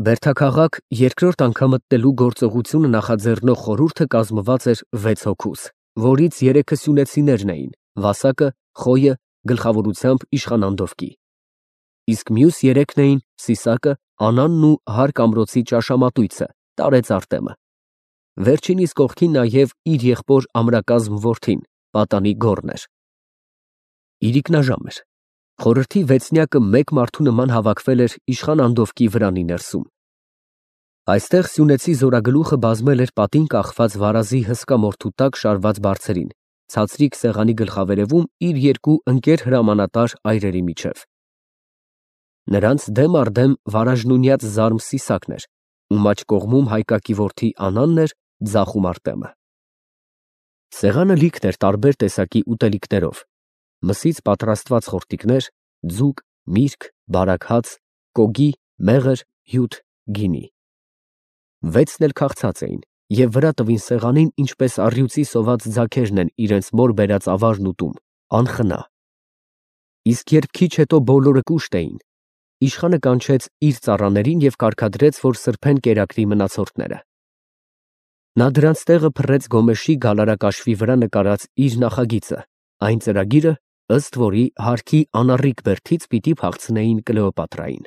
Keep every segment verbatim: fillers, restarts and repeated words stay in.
Բերդաքաղաք երկրորդ անգամ մտնելու գործողությունը նախաձեռնող խորհուրդը կազմված էր վեց հոգուց, որից երեքը սյունեցիներն էին՝ Վասակը, Խոյը, գլխավորությամբ իշխան Անդովկի, իսկ մյուս երեքն էին Սիսակը, Անանն ու հարկ ամրոցի ճաշամատույցը՝ տարեց Արտեմը, վերջինիս կողքին նաև իր եղբոր ամրակազմ որդին՝ պատանի Գոռն էր։ Իրիկնաժամ էր, խորհրդի վեցնյակը մեկ մարդու նման հավաքվել էր իշխան Անդովկի վրանի ներսում։ Այստեղ սյունեցի զորագլուխը բազմել էր պատին կախված վարազի հսկա մորթու տակ շարված բարձերին, ցածրիկ սեղանի գլխավերևում իր երկու ընկեր հրամանատար այրերի միջև։ Նրանց դեմ առ դեմ վարաժնունյաց զարմ Սիսակն էր, ում աջ կողմում Հայկակի որդի Անանն էր, ձախում Արտեմը։ Սեղանը լիքն էր տարբեր տեսակի ուտելիքներով, մսից պատրաստված խորտիկներ, ձուկ, միրգ, բարակ հաց, կոգի, մեղր, հյութ, գինի։ Վեցն էլ քաղցած էին և վրա տվին սեղանին, ինչպես առյուծի սոված ձագերն են իրենց մոր բերած ավարն ուտում, անխնա։ Իսկ երբ քիչ հետո բոլորը կուշտ էին, իշխանը կանչեց իր ծառաներին և կարգադրեց, որ սրբեն կերակրի մնացորդները։ Նա դրանց տեղը փռեց Գոմեշի գալարակաշվի վրա նկարած իր նախագիծը, այն ծրագիրը, ըստ որի հարկի անառիկ բերդից պիտի փախցնեին Կլեոպատրային։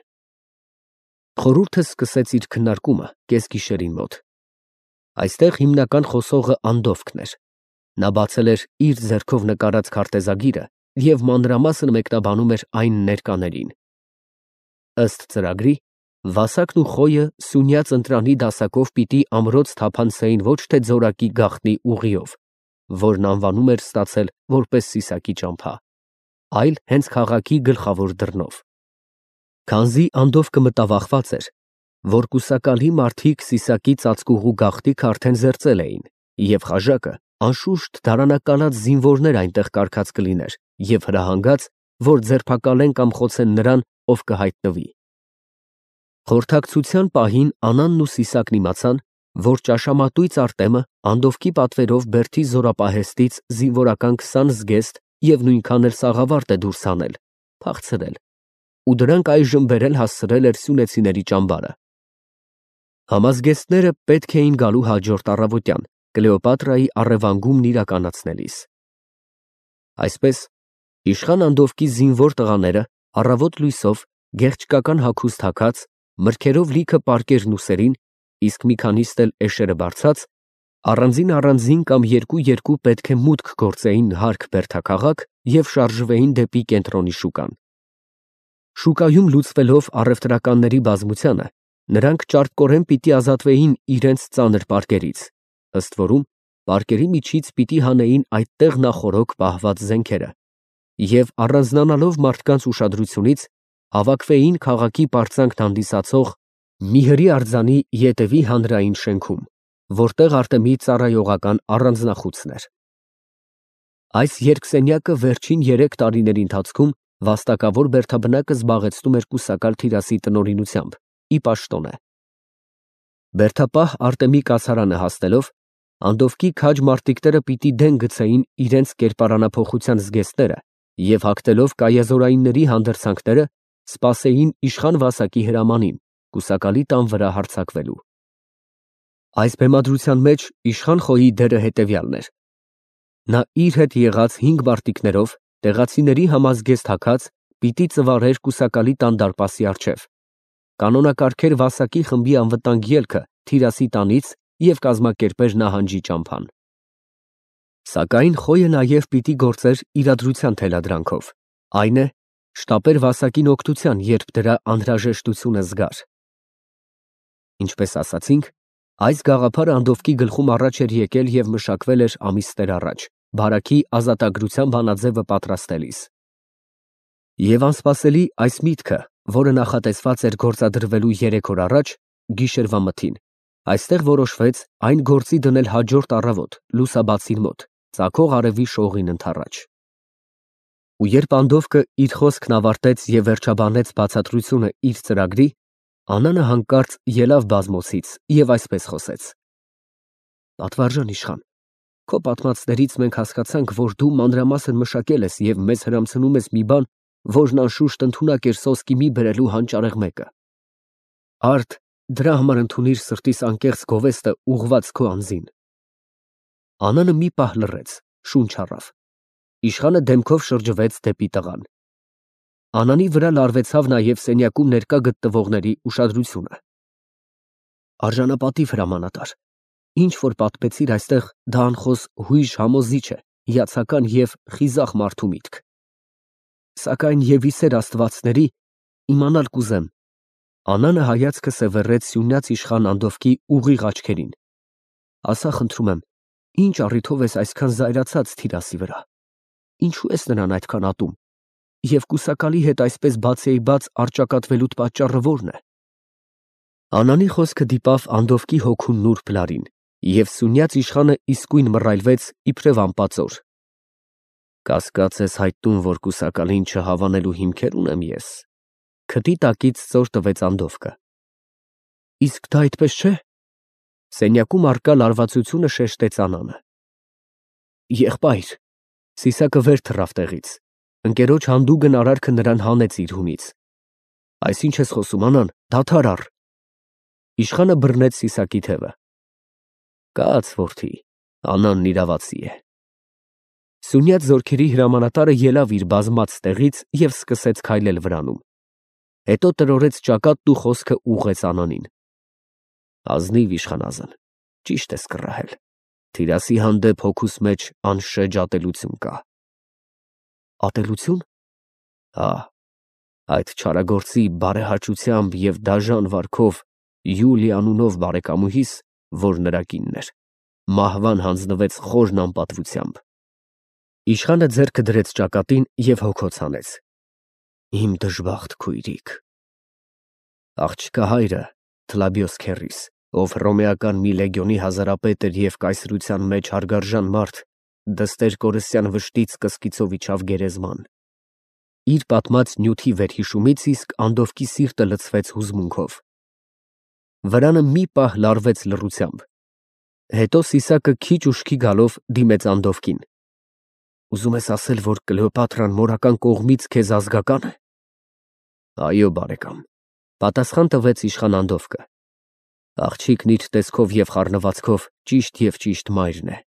Խորհուրդը սկսեց իր քննարկումը կեսգիշերին մոտ։ Այստեղ հիմնական խոսողը Անդովկն էր։ Նա բացել էր իր ձեռքով նկարած քարտեզագիրը և մանրամասն մեկնաբանում էր այն ներկաներին։ Ըստ ծրագրի, Վասակն ու Խոյը սյունյաց ընտրանի դասակով պիտի ամրոց թափանցեին ոչ թե ձորակի գաղտնի ուղիով, որն անվանում էր ստացել որպես Սիսակի ճամփա, այլ հենց քաղաքի գլխավոր դռնով։ Քանզի Անդովկը մտավախված էր, որ կուսակալի մարդիկ Սիսակի ծածկուղու գաղտնիքը արդեն զերծել էին, և խաժակը անշուշտ դարանակալած զինվորներ այնտեղ կարգած կլիներ և հրահանգած, որ ձերբակալեն կամ խոցեն նրան, ով կհայտնվի։ Խորհրդակցության պահին Անանն ու Սիսակն իմացան, որ ճաշամատույց Արտեմը Անդովկի պատվերով Բերդի զորապահեստից զինվորական քսան զգեստ և նույնքան էլ սաղավարտ է դուրս հանել, փախցրել, ու դրանք այժմ բերել հասցրել էր սյունեցիների ճամբարը։ Համազգեստները պետք էին գալու հաջորդ առավոտյան, Կլեոպատրայի առևանգումն իրականացնելիս։ Այսպես, իշխան Անդովկի զինվոր տղաները առավոտ լույսով, գեղչկական հագուստ հագած, մրգերով լիքը պարկերն ուսերին, իսկ մի քանիստ էլ էշերը բարձած, առանձին֊առանձին կամ երկու֊երկու պետք է մուտք գործեին հարկ Բերդաքաղաք և շարժվեին դեպի կենտրոնի շուկան։ Շուկայում լուծվելով առևտրականների բազմությանը, նրանք ճարպկորեն պիտի ազատվեին իրենց ծանր պարկերից, ըստ որում պարկերի միջից պիտի հանեին այդտեղ նախօրոք պահված զենքերը և առանձնանալով մարդկանց ուշադրությունից, հավաքվեին քաղաքի պարծանքն հանդիսացող մի հրի արձանի ետևի հանրային շենքում, որտեղ Արտեմի ծառայողական առանձնախուցն էր։ Այս երկսենյակը վերջին երեք տարիների ընթացքում վաստակավոր բերդաբնակը զբաղեցնում էր կուսակալ Թիրասի տնօրինությամբ, ի պաշտոնե։ Բերդապահ Արտեմի կացարանը հասնելով, Անդովկի քաջ մարտիկները պիտի դեն գցեին իրենց կերպարանափոխության զգեստները և հագնելով կայազորայինների հանդերձանքները, սպասեին իշխան Վասակի հրամանին, կուսակալի տան վրա հարձակվելու։ Այս բեմադրության մեջ իշխան Խոյի դերը հետևյալն էր. նա իր հետ եղած հինգ մարտիկներով, տեղացիների համազգեստ հագած, պիտի ծվարեր կուսակալի տան դարպասի առջև, կանոնակարգեր Վասակի խմբի անվտանգ ելքը Թիրասի տանից և կազմակերպեր նահանջի ճամփան։ Սակայն Խոյը նաև պիտի գործեր իրադրության թելադրանքով, այն է, շտապեր Վասակին օգնության, երբ դրա անհրաժեշտությունը զգար։ Ինչպես ասացինք, այս գաղափարը Անդովկի գլխում առաջ էր եկել և մշակվել էր ամիսներ առաջ, բարաքի ազատագրության բանաձևը պատրաստելիս։ Եվ անսպասելի այս միտքը, որը նախատեսված էր գործադրվելու երեք օր առաջ, գիշերվա մթին, այստեղ որոշվեց այն գործի դնել հաջորդ առավոտ, լուսաբացին մոտ, ծագող արևի շողին ընդառաջ։ Ու երբ Անդովկը իր խոսքն ավարտեց և վերջաբանեց բացատրությունը իր ծրագրի, Անանը հանկարծ ելավ բազմոցից և այսպես խոսեց. «Պատվարժան իշխան, քո պատմածներից մենք հասկացանք, որ դու մանրամասն մշակել ես և մեզ հրամցնում ես մի բան, որն անշուշտ ընդունակ էր սոսկի մի բերելու հանճարեղ մեկը։ Արդ Դրա համար ընդունիր սրտիս անկեղծ գովեստը ուղված քո անձին։ Անանը մի պահ լռեց, շունչ առավ։ Իշխանը դեմքով շրջվեց դեպի տղան։ Անանի վրա լարվեցավ նաև սենյակում ներկա գտնվողների ուշադրությունը։ Արժանապատիվ հրամանատար, ինչ որ պատմեցիր այստեղ, դա անխոս հույժ համոզիչ է, հիացական և խիզախ մարդու միտք։ Սակայն և իսեր աստվածների իմանալ կուզեմ։ Անանը հայացքը սևեռեց սյունյաց իշխան Անդովկի ուղիղ աչքերին։ Ասա խնդրում եմ, ինչ առիթով ես այսքան զայրացած Թիրասի վրա, ինչու ես նրան այդքան ատում, և կուսակալի հետ այսպես բացեիբաց առճակատվելուդ պատճառը ո՞րն է։ Անանի խոսքը դիպավ Անդովկի հոգուն նուրբ լարին, և սյունյաց իշխանը իսկույն մռայլվեց իբրև անպածոր։ Կասկած ես հայտնում, որ կուսակալին չհավանելու հիմքեր ունեմ ես։ Քթի տակից ծոր տվեց Անդովկը։ Իսկ դա այդպես չէ։ Սենյակում առկա լարվածությունը շեշտեց Անանը։ Եղբայր, Սիսակը վեր թռավ տեղից։ Ընկերոջ հանդուգն արարքը նրան հանեց իր հունից։ Այս ինչ ես խոսում, Անան, դադար առ։ Իշխանը բռնեց Սիսակի թևը։ Կաց, որդի, Անանն իրավացի է։ Սյունյաց զորքերի հրամանատարը ելավ իր բազմած տեղից և սկսեց քայլել վրանում։ Հետո տրորեց ճակատն ու խոսքը ուղղեց Անանին։ Ազնիվ իշխանազն, ճիշտ ես կռահել։ Թիրասի հանդեպ հոգուս մեջ անշեջ ատելություն կա։ Ատելությո՞ւն։ Հա, այդ չարագործի բարեհաճությամբ և դաժան վարքով Յուլի անունով բարեկամուհիս, որ նրա կինն էր, մահվան հանձնվեց խորն անպատվությամբ։ Իշխանը ձեռքը դրեց ճակատին և հոգոց հանեց։ Իմ դժբախտ քույրիկ։ Աղջկա հայրը, Թլաբիոս քեռիս, ով հռոմեական մի լեգիոնի հազարապետ էր և կայսրության մեջ հարգարժան մարդ, դստեր կորսյան վշտից կսկիցով իջավ գերեզման։ Իր պատմած նյութի վերհիշումից իսկ Անդովկի սիրտը լցվեց հուզմունքով։ Վրանը մի պահ լարվեց լռությամբ։ Հետո Սիսակը քիչ ուշքի գալով դիմեց Անդովկին։ Ուզում ես ասել, որ Կլեոպատրան մորական կողմից քեզ ազգակա՞ն է։ Այո, բարեկամ, պատասխան տվեց իշխան Անդովկը։ Աղջիկն իր տեսքով և խառնվածքով ճիշտ և ճիշտ մայրն է։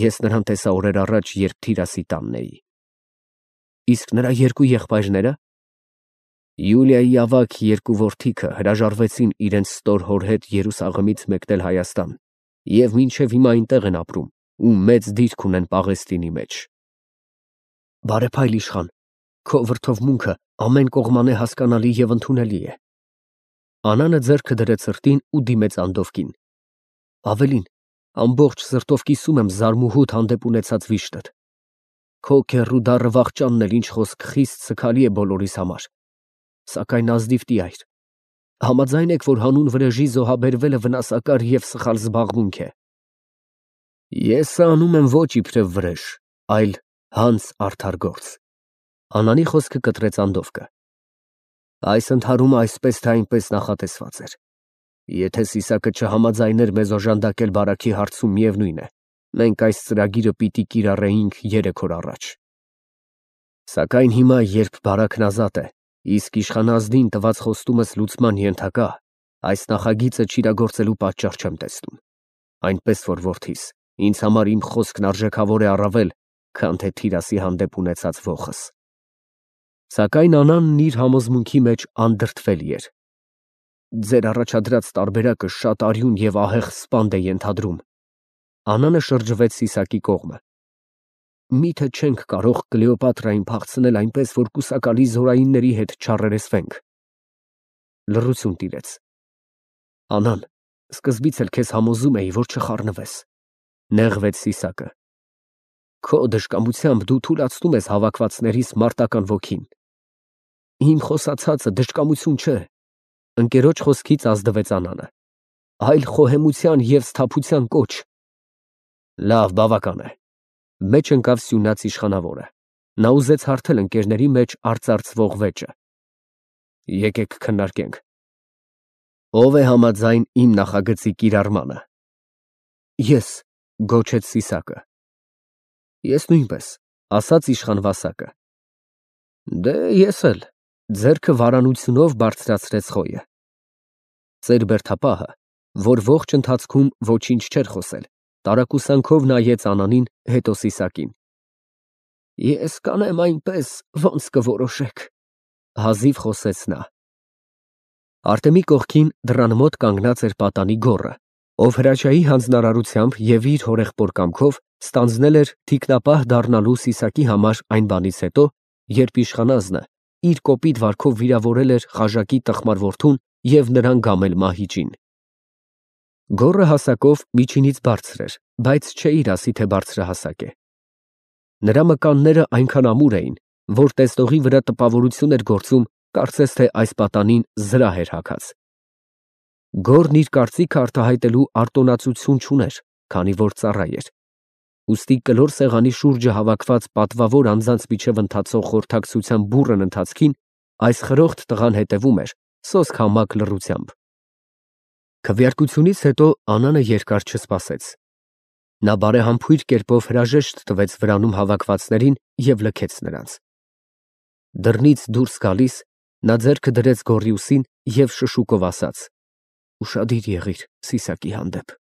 Ես նրան տեսա օրեր առաջ, երբ Թիրասի տանն էի։ Իսկ նրա երկու եղբայրնե՞րը։ Յուլիայի ավագ երկու որդիքը հրաժարվեցին իրենց ստոր հոր հետ Երուսաղեմից մեկնել Հայաստան և մինչև հիմա այնտեղ են ապրում ու մեծ դիրք ունեն Պաղեստինի մեջ։ Բարեփայլ իշխան, քո վրդովմունքը ամեն կողմանե հասկանալի և ընդունելի է։ Անանը ձեռքը դրեց սրտին ու դիմեց Անդովկին։ Ավելին, ամբողջ սրտով կիսում եմ զարմուհուդ հանդեպ ունեցած վիշտդ։ Քո քեռու դառը վախճանն էլ ինչ խոսք խիստ սգալի է բոլորիս համար։ Սակայն ազնիվ տյայր, համաձայն եք, որ հանուն վրեժի զոհաբերվելը վնասակար և սխալ զբաղմունք է։ Ես անում եմ ոչ իբրև վրեժ, այլ հանց արդար գործ։ Անանի խոսքը կտրեց Անդովկը։ Այս ընդհարումը այսպես թե այնպես նախատեսված էր։ Եթե Սիսակը չհամաձայներ մեզ օժանդակել բարաքի հարցում, միևնույն է, մենք այս ծրագիրը պիտի կիրառեինք երեք օր առաջ։ Սակայն հիմա, երբ բարակն ազատ է, իսկ իշխանազնին տված խոստումս լուծման ենթակա, այս նախագիծը չիրագործելու պատճառ չեմ տեսնում։ Այնպես որ, որդիս, ինձ համար իմ խոսքն արժեքավոր է առավել, քան թե Թիրասի հանդեպ ունեցած ոխս։ Սակայն Անանն իր համոզմունքի մեջ անդրդվելի էր։ Ձեր առաջադրած տարբերակը շատ արյուն և ահեղ սպանդ է ենթադրում։ Անանը շրջվեց Սիսակի կողմը։ Միթե չենք կարող Կլեոպատրային փախցնել այնպես, որ կուսակալի զորայինների հետ չառերեսվենք։ Լռություն տիրեց։ Անան, սկզբից էլ քեզ համոզում էի, որ չխառնվես։ Նեղվեց Սիսակը։ Քո դժկամությամբ դու թուլացնում ես հավաքվածներիս մարտական ոգին։ Իմ խոսացածը դժկամություն չէ։ Ընկերոջ խոսքից ազդվեց Անանը։ Այլ խոհեմության և սթափության կոչ։ Լավ, բավական է։ Մեջ ընկավ Սյունյաց իշխանավորը։ Նա ուզեց հարթել ընկերների մեջ արծարծվող վեճը։ Եկեք քննարկենք։ Ո՞վ է համաձայն իմ նախագծի կիրառմանը։ Ես, գոչեց Սիսակը։ Ես նույնպես, ասաց իշխան Վասակը։ Դե ես էլ, ձեռքը վարանությունով բարձրացրեց Խոյը։ Ծեր բերդապահը, որ ողջ ընթացքում ոչինչ չէր խոսել, տարակուսանքով նայեց Անանին, հետո Սիսակին։ Ես կանեմ այնպես, ոնց կորոշեք, հազիվ խոսեց նա։ Արտեմի կողքին դռան մոտ կանգնած էր պատանի գոռը, ով Հրաչյայի հանձնարարությամբ և իր հորեղբոր կամքով ստանձնել էր թիկնապահ դառնալու Սիսակի համար այն բանից հետո, երբ իշխանազնը իր կոպիտ վարքով վիրավորել էր Խաժակի տխմար որդուն և նրան գամել մահիճին։ Գոռը հասակով միջինից բարձր էր, բայց չէիր ասի, թե բարձրահասակ է։ Նրա մկանները այնքան ամուր էին, որ տեսնողի վրա տպավորություն էր գործում, կարծես թե այս պատանին զրահ էր հագած։ Գոռն իր կարծիքը արտահայտելու արտոնացություն չուներ, քանի որ ծառա էր։ Ուստի կլոր սեղանի շուրջը հավաքված պատվավոր անձանց միջև ընթացող խորհրդակցության բուռն ընթացքին այս խրոխտ տղան հետևում էր սոսկ համակ լռությամբ։ Քվեարկությունից հետո Անանը երկար չսպասեց։ Նա բարեհամբույր կերպով հրաժեշտ տվեց վրանում հավաքվածներին և լքեց նրանց։ Դռնից դուրս գալիս նա ձեռքը դրեց գոռի ուսին և շշուկով ասաց. «Ուշադիր եղիր Սիսակի հանդեպ»։